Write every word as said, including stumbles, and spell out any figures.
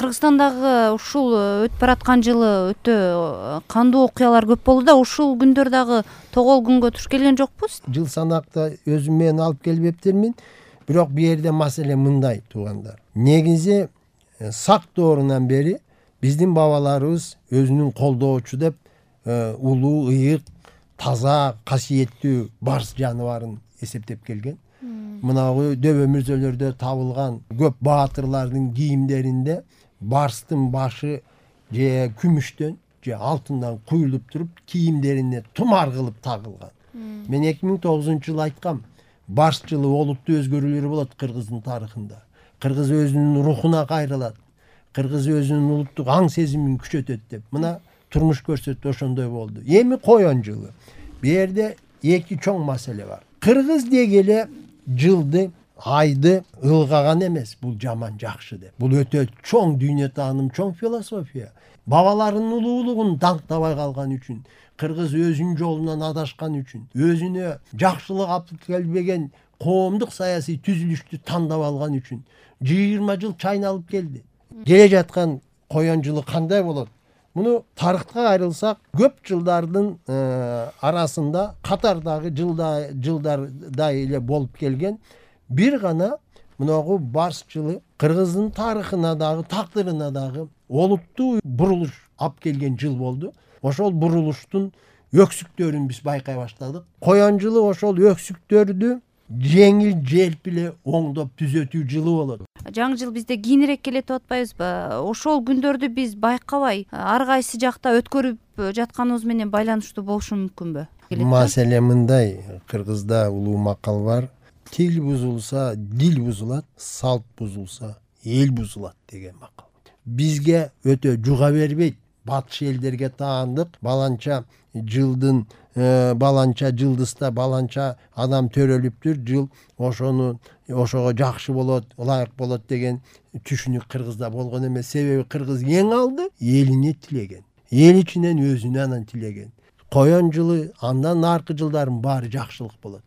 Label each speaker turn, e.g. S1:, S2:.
S1: Кыргызстандагы ушул өтүп бараткан жылы өтө кандуу окуялар көп болду да, ушул күндөр дагы тогол күнгө туш келген жокпуз?
S2: Жыл санакты өзүм менен алып келбептермин. Бирок бу жерде маселе мындай, туугандар. Негизи сак доорунан бери биздин бабаларыбыз өзүнүн колдоочу деп улуу, ыйык, таза, касиеттүү барс жаныбарын эсептеп келген. Мынагу дөбө мүрзөлөрдө табылган көп баатырлардын кийимдеринде барстын башы же күмүштөн же алтындан куюлуп туруп, кийимдерине тумар кылып тагылган. Мен эки миң тогузунчу жылы айткам, барс жылы олуттуу өзгөрүүлөр болот кыргыздын тарыхында. Кыргыз өзүнүн рухуна кайрылат. Кыргыз өзүнүн улуттук аң сезимин күчөтөт деп. Мына турмуш көрсөттү, ошондой болду. Эми коен жылы. Бу жерде эки чоң маселе бар. Кыргыз дегеле жылды, айды ылгаган эмес, бул жаман жакшы деп. Бул өтө чоң дүйнө тааным, чоң философия. Бабаларынын улуулугун даңктабай калган үчүн, кыргыз өзүнүн жолунан адашкан үчүн, өзүнө жакшылык алып келбеген коомдук саясий түзүлүштү тандап алган үчүн жыйырма жыл чайналып келди. Келе жаткан коен жылы кандай болот? Муну тарыхка кайрылсак, көп жылдардын арасында катардагы жылда жылдардай эле болуп келген бир гана мынагу барс жылы кыргыздын тарыхына дагы, тагдырына дагы олуттуу бурулуш алып келген жыл болду. Ошол бурулуштун өксүктөрүн биз байкай баштадык. Коен жылы ошол өксүктөрдү жеңил желп эле оңдоп түзөтүү жылы болот.
S1: Жаңы жыл бизде кийинирээк келет деп атпайбызбы? Ошол күндөрдү биз байкабай, ар кайсы жакта өткөрүп жатканыбыз менен байланыштуу болушу мүмкүнбү?
S2: Маселе мындай, кыргызда улуу макал бар. Тил бузулса, дил бузулат, салт бузулса, эл бузулат деген макал. Бизге өтө жуга бербейт. Батыш элдерге таандык, баланча жылдын баланча жылдызда баланча адам төрөлүптүр, жыл ошону ошого жакшы болот, ылайык болот деген түшүнүк кыргызда болгон эмес. Себеби кыргыз эң алды элине тилеген. Эл ичинен өзүнө анан тилеген. Коен жылы, андан аркы жылдардын баары жакшылык болот.